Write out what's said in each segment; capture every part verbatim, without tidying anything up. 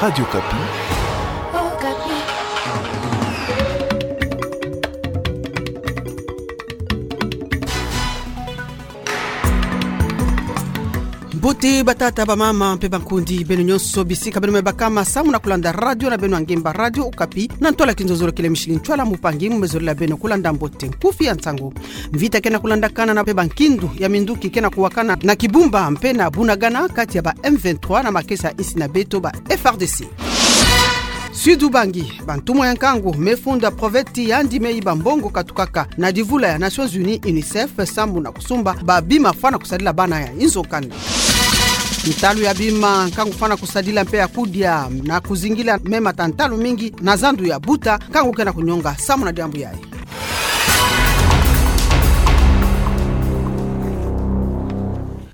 Radio Okapi. Mbote batata, bamama mpe bankundi, beno nyonso bisika beno me bakama samu na kulanda radio na beno ya ngemba, Radio Okapi, na ntwala ya kinzonzolo kele mishili ntwala mupangi mu me zolila beno kulanda mbote nkufi ya nsangu. Mvita ke na kulandakana na mpe bankindu ya minduki ke na kuwakana na Kibumba mpe na Bunagana kati ya ba M vingt-trois na makesa ya insi na beto, ba F R D C. Sud-Ubangi, bantumwa ya nkangu me funda proveti yandi me yiba mbongo katukaka na divula ya Nations Unies, UNICEF, samu na kusumba babima fwana kusadila bana ya inzo kanda. Ntalu ya bima nkangu fwana kusadila mpe ya kudia na kuzingila me mata ntalu mingi na zandu ya buta, nkangu ke na kunyonga samu na diambu yayi.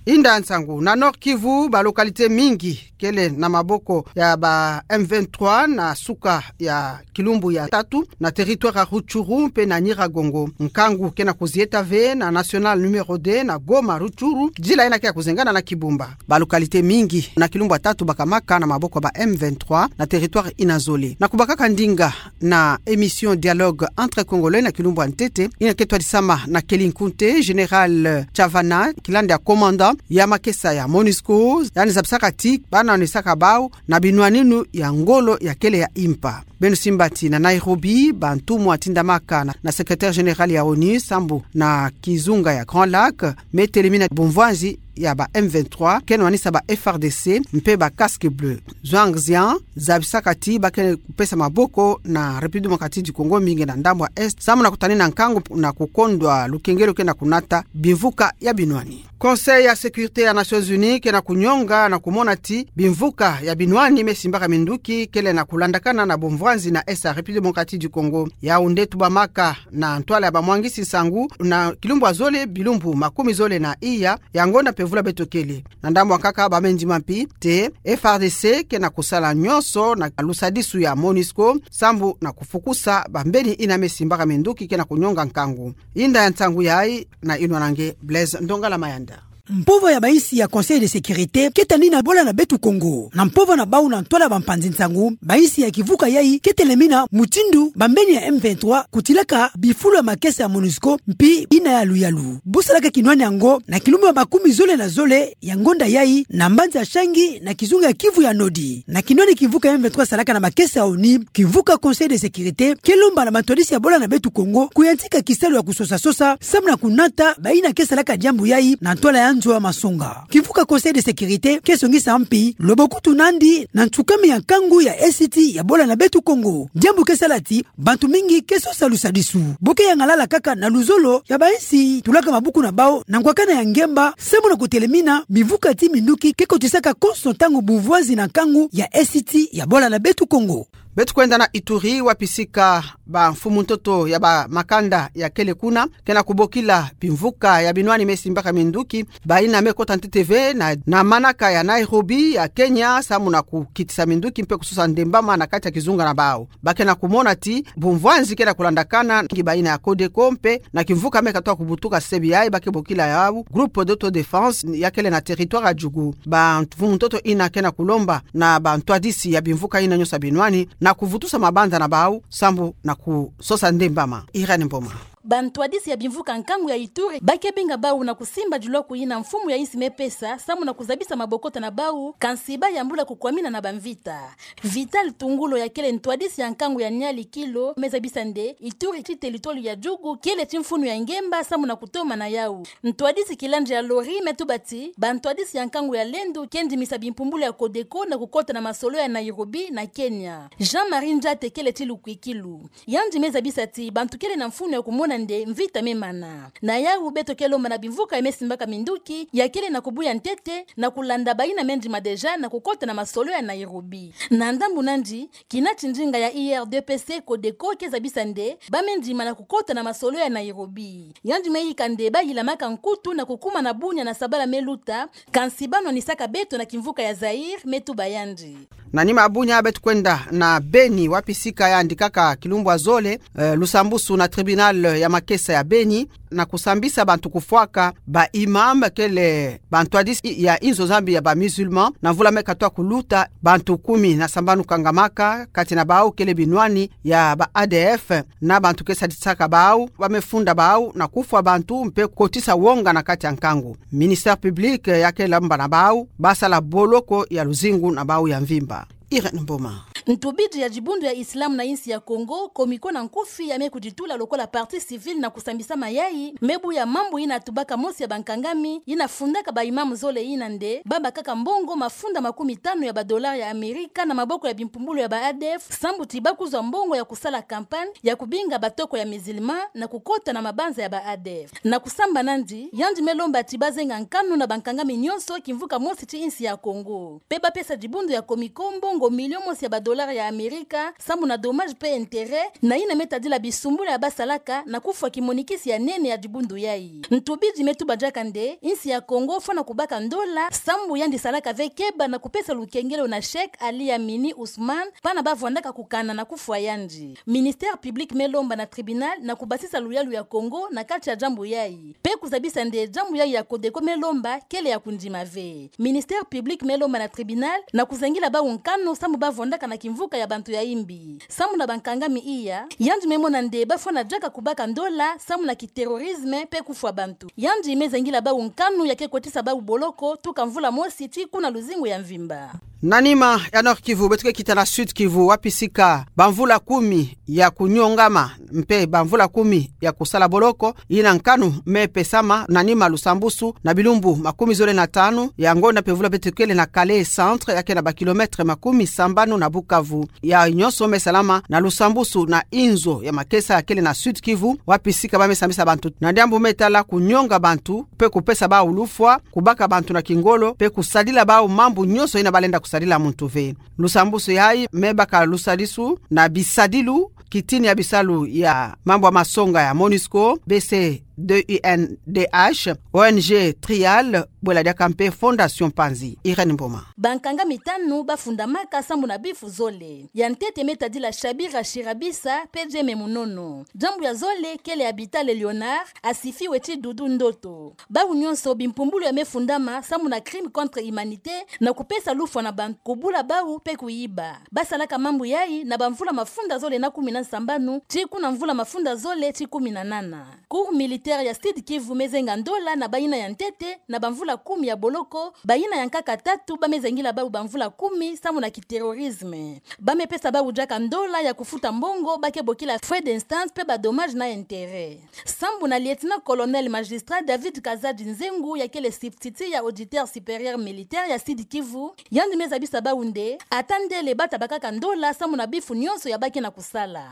Inda ya nsangu, na Nord-Kivu, ba localités mingi kele na maboko ya ba M vingt-trois na suka ya kilumbu ya tatu, na territoire ya Rutshuru mpe na Nyiragongo. Nkangu ke na kuzieta ve na nationale numéro deux na Goma Rutshuru, nzila yina ke ya kuzengana na Kibumba. Ba localités mingi na kilumbu ya tatu bakamaka na maboko ya ba M vingt-trois na territoire yina zole. Na kubakaka ndinga na émission Dialogue entre Congolais na kilumbu ya ntete, yina ke twadisama na Kelly Nkunte, Général Chavana, kilandi ya commandant ya makesa ya MONUSCO, yandi zabisaka ti bana onesaka bau na binwaninu ya ngolo ya kele ya impa. Beno simba ti na Nairobi, bantumwa tindamaka na, na secrétaire général ya ONU sambu na kizunga ya Grand Lac me telemina bumvwanzi ya ba M vingt-trois ke nwanisa ba F R D C mpe ba Casques Bleus. Zhuang Zhian zabisaka ti ba ke pesa maboko na République Démocratique du Congo, mingi na ndambu ya Est, samu na kutanina nkangu na kukondwa lukengelo ke na kunata bimvuka ya binwani. Conseil ya Sécurité ya Nations Unies ke na kunyonga na kumona ti bimvuka ya binwani me simbaka minduki kele na kulandakana na bumvwanzi na Est ya République Démocratique du Congo. Yawu nde tubamaka na ntwala ya bamwangisi nsangu na kilumbu ya zole, bilumbu makumi zole na iya ya ngonda mpe vula beto kele. Na ndambu ya nkaka, ba me ndima mpi ti F R D C ke na kusala nyonso na lusadisu ya MONUSCO sambu na kufukusa bambeni yina me simbaka minduki ke na kunyonga nkangu. Inda ya nsangu yayi na inwa na nge Blaise Ndongala Mayanda. Mpova ya bainsi ya Conseil de Sécurité ke tanina bola na beto Congo na mpova na bau na ntwala ya bampanzi nsangu, bainsi ya kivuka yayi ke telemina mutindu bambeni ya M vingt-trois kutilaka bifulu ya makesa ya MONUSCO mpi yina ya luyalu. Bu salaka kinwani yango na kilumbu ya makumi zole na zole ya ngonda yayi na mbanza ya Changi na kizunga ya Kivu ya Nord. Na kinwani kivuka ya M vingt-trois salaka na makesa ya ONU, kivuka Conseil de Sécurité ke lomba na bantwadisi ya bola na beto Congo kuyantika kisalu ya kusosa-sosa samu na kunata bayina ke salaka diambu yayi na ntwala ya nzo ya masonga. Kivuka Conseil de Sécurité ke songisa mpi lobokutu nandi na nsukami ya nkangu ya Est ya bola na beto Congo. Diambu ke sala ti bantu mingi ke sosa lusadisu. Bo ke yangalala kaka na luzolo ya bainsi tulaka mabuku na bau na ngwakana ya ngemba samu na kutelemina bivuka ti minduki ke kotisaka konso ntangu bumvwanzi na nkangu ya Est ya bola na beto Congo. Beto kwenda na Ituri, wapi sika bamfumu ntoto ya bamakanda ya kele kuna ke na kubokila bimvuka ya binwani me simbaka minduki, bayina me kota ntete ve na, na manaka ya Nairobi ya Kenya samu na kukitisa minduki mpe kusosa ndembama na kati ya kizunga na bau. Ba ke na kumona ti bumvwanzi ke na kulandakana ngi bayina ya CODECO mpe na kimvuka me katoa kubutuka sebi yayi ba ke bokila yawu Groupe d'Autodéfense ya kele na territoire ya Djugu. Bamfumu ntoto yina ke na kulomba na bantwadisi ya bimvuka yina nyonso ya binwani na kuvutusa mabanza na bau sambu na kusosa ndembama. Irène Mboma. Bantwadisi ya bimvuka nkangu ya Ituri ba ke binga bau na kusimba dilwaku yina mfumu ya insi me pesa samu na kuzabisa mabokota na bau, kansi ba yambula kukwamina na bamvita. Vital Tungulo ya kele ntwadisi ya nkangu ya Niali Kilo me zabisa nde Ituri ti territoire ya Djugu kele ti mfunu ya ngemba samu na kutoma na yawu. Ntwadisi Kilandja Lori me tuba ti bantwadisi ya nkangu ya Lendu ke ndimisa bimpumbulu ya CODECO na kukota na masolo ya Nairobi na Kenya. Jean-Marie Njate kele ti lukwikilu. Yandi me zabisa ti bantu kele na mfunu ya kumona nde mvita me mana. Na yawu beto ke lomba na bimvuka ya me simbaka minduki ya kele na kubuya ntete na kulanda bayina me ndima déjà na kukota na masolo ya Nairobi. Na ndambu nandi, kina ti ndinga ya I R D P C CODECO ke zabisa nde ba me ndima na kukota na masolo ya Nairobi. Yandi me yika nde ba yilamaka nkutu na kukuma na bunya na sabala me luta, kansi ba nwanisaka beto na kimvuka ya Zaïre, me tuba yandi. Na nima ya bunya beto kwenda na Beni, wapi sika yandi kaka kilumbu ya zole, eh, lusambusu na tribunal ya makesa ya Beni, na kusambisa bantu kufwaka ba imam kele bantu hadisi ya inzo Nzambi ya ba musulman, na mvula me katuka kuluta, bantu kumi na sambanu kangamaka, kati na bawu kele binwani ya ba A D F, na bantu ke sadisaka bawu, ba me funda bawu na kufwa bantu mpe kotisa wonga na kati ya nkangu. Ministère public ya ke lomba na bawu ba sala boloko ya luzingu na bawu ya mvimba. Irène Mboma. Ntubidi ya dibundu ya Islam na insi ya Kongo, Comico na nkufi, ya me kuditula lokola partie civile na kusambisa mayai, me buya mambu yina tubaka mosi ya bankangami yina fundaka ba imam zole yina nde ba bakaka mbongo mafunda makumi tanu ya ba dollars ya Amerika na maboko ya bimpumbulu ya ba A D F, sambu ti ba kuzwa mbongo ya kusala campagne ya kubinga batoko ya musulman na kukota na mabanza ya ba A D F. Na kusamba nandi, yandi me lomba ti ba zenga nkanu na bankangami nyonso kimvuka mosi ti insi ya Kongo, mpe ba pesa dibundu ya Comico mbongo million mosi ya ba dollars ya Amerika, sambu na dommages mpe intérêts, na yina me tadila bisumbula ya ba salaka na kufwa kimonikisi ya nene ya dibundu yayi. Ntubidi me tuba diaka nde insi ya Kongo fwana kubaka ndola, sambu yandi salaka ve keba na kupesa lukengelo na Cheikh Ali Amini Ousmane, pana ba vwandaka kukana na kufwa yandi. Ministère public me lomba na tribunal na kubasisa luyalu ya Kongo na kati ya diambu yayi, mpe kuzabisa nde diambu yayi ya Codeco me lomba kele ya kundima ve. Ministère public me lomba na tribunal na kuzangila bawu nkanu sambu ba vwandaka na kimvuka ya bantu ya imbi. Sambu na bankangami iya, yandi me mona nde ba fwana diaka kubaka ndola sambu na kiterrorisme mpe kufwa bantu. Yandi me zangila bawu nkanu ya ke kotisa bawu boloko tuka mvula mosi tii kuna luzingu ya mvimba. Na nima ya Nord-Kivu, beto ke kita na Sud-Kivu, wapi sika bamvula kumi ya kunyongama mpe bamvula kumi ya kusala boloko, yina nkanu me pesama na nima lusambusu na bilumbu makumi zole na tanu ya ngonda mpemvula beto kele na Kalehe Centre, ya ke na ba kilomètres makumi sambanu na Bukavu. Yayi nyonso me salama na lusambusu na inzo ya makesa ya kele na Sud-Kivu, wapi sika ba me sambisa bantu na diambu me tala kunyonga bantu, mpe kupesa bawu lufwa, kubaka bantu na kingolo, mpe kusadila bawu mambu nyonso yina ba lenda kusadila muntu ve. Lusambusu yayi me baka lusadisu na bisadilu, kitini ya bisalu ya mambu ya masonga ya MONUSCO, B C deux U N D H, O N G Trial, bwela diaka mpe Fondation Panzi. Irène Mboma. Bankangami tanu ba fundamaka sambu na bifu zole. Ya ntete me tadila Shabira Shirabisa mpe Jeme Munono. Diambu ya zole kele ya Bitale Leonard, asifiwe ti Dudu Ndoto. Bawu nyonso bimpumbulu ya me fundama sambu na crime contre humanité, na kupesa lufwa na bantu, kubula bawu mpe kuyiba. Ba salaka mambu yayi na bamvula mafunda zole na kumi na sambanu tii kuna mvula mafunda zole tii kumi na nana. Cour militaire ya Sud-Kivu me zenga ndola na bayina ya ntete na bamvula kumi ya boloko, bayina ya nkaka tatu ba me zangila bawu bamvula kumi sambu na kiterrorisme. Ba me pesa bawu diaka ndola ya kufuta mbongo ba ke bokila frais d'instance mpe ba dommages na intérêts. Sambu na lieutenant-colonel magistrat David Kazadi Nzengu, ya kele substitut ya auditeur supérieur militaire ya Sud-Kivu, yandi me zabisa bawu nde ata ndele ba taba kaka ndola sambu na bifu nyonso ya ba ke na kusala.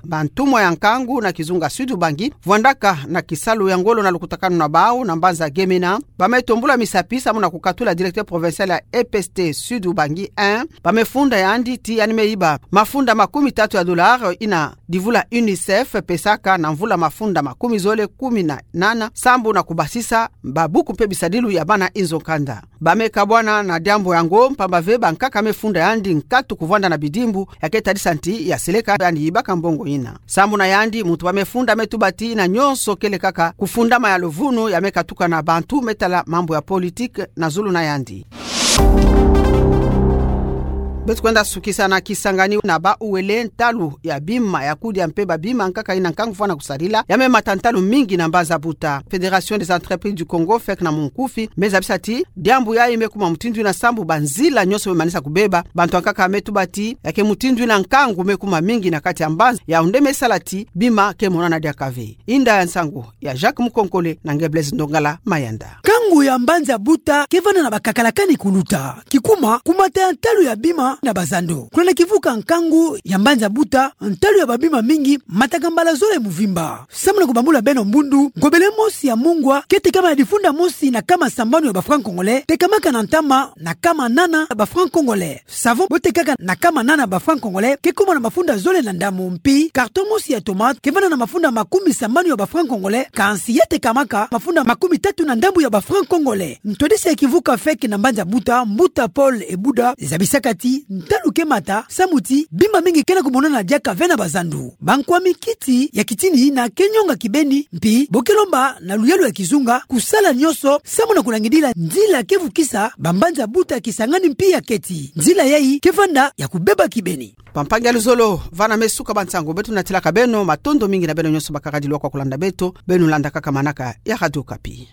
Bantumwa ya nkangu na kizunga Sud-Ubangi vwandaka na kisalu ya ngolo na lukutakanu na bawu na mbanza Gemena, ba me tombula misapi sambu na kukatula directeur provincial ya E P S T Sud-Ubangi un, ba me funda yandi ti yandi me yiba mafunda makumi tatu ya dollars yina divula UNICEF pesaka na mvula mafunda makumi zole kumi na nana, sambu na kubasisa babuku mpe bisadilu ya bana inzo kanda. Ba me kabwana na diambu yango mpamba ve bankaka me funda yandi nkatu kuvwanda na bidimbu, ya ke tadisa ti ya seleka yandi yibaka mbongo yina. Sambu na yandi, muntu ba me funda me tuba ti yina nyonso kele kaka kufundama ya luvunu ya me katuka na bantu me tala mambu ya politique na zulu na yandi. Beto kwenda sukisa na Kisangani na Bas-Uele. Ntalu ya bima ya kudia mpe babima nkaka yina nkangu fwana kusadila ya me mata ntalu mingi na mbanza Buta. Fédération des entreprises du Congo, fek na munkufi, me zabisa ti diambu yayi me kuma mutindu yina sambu banzila nyonso me manisa kubeba. Bantu ya nkaka me tuba ti ya ke mutindu yina nkangu me kuma mingi na kati ya mbanza, yawu nde me sala ti bima ke monana diaka ve. Inda ya nsangu ya Jacques Mukonkole na nge Blaise Ndongala Mayanda. Nkangu ya mbanza Buta ke vanda na bakakalakani kuluta. Kikuma, kumata ya ntalu ya bima na bazando. Kuna na kivuka nkangu ya mbanza Buta, ntalu ya babima mingi mataka mbala zole muvimba. Sambu na kubambula beno mbundu, ngobele mosi ya mungwa ke tekama na difunda mosi na kama sambanu ya ba francs congolais, tekamaka na ntama na kama nana ya ba francs congolais. Savon bo tekaka na kama nana ba francs congolais ke kuma na mafunda zole na ndambu, mpi carton mosi ya tomate ke vanda na mafunda makumi sambanu ya ba francs congolais, kansi ya tekamaka mafunda makumi tatu na ndambu ya ba francs congolais. Ntwadisi ya kivuka fek na mbanza Buta, mbuta Paul Ebuda, zabisaka ti ntalu ke mata, samu ti bima mingi ke na kumonana diaka ve na bazandu. Bankwami kiti ya kitini na ke nyonga kibeni, mpi bo ke lomba na luyalu ya kizunga kusala nionso samu na kulangidila nzila ke vukisa bambanza buta Kisangani mpi ya keti. Nzila yayi ke vanda ya kubeba kibeni. Bampangi ya luzolo, vana me suka ba nsangu beto natilaka beno, matondo mingi na beno nionso bakaka dilwa kwa kulanda beto, beno landa kaka manaka ya Radio Okapi.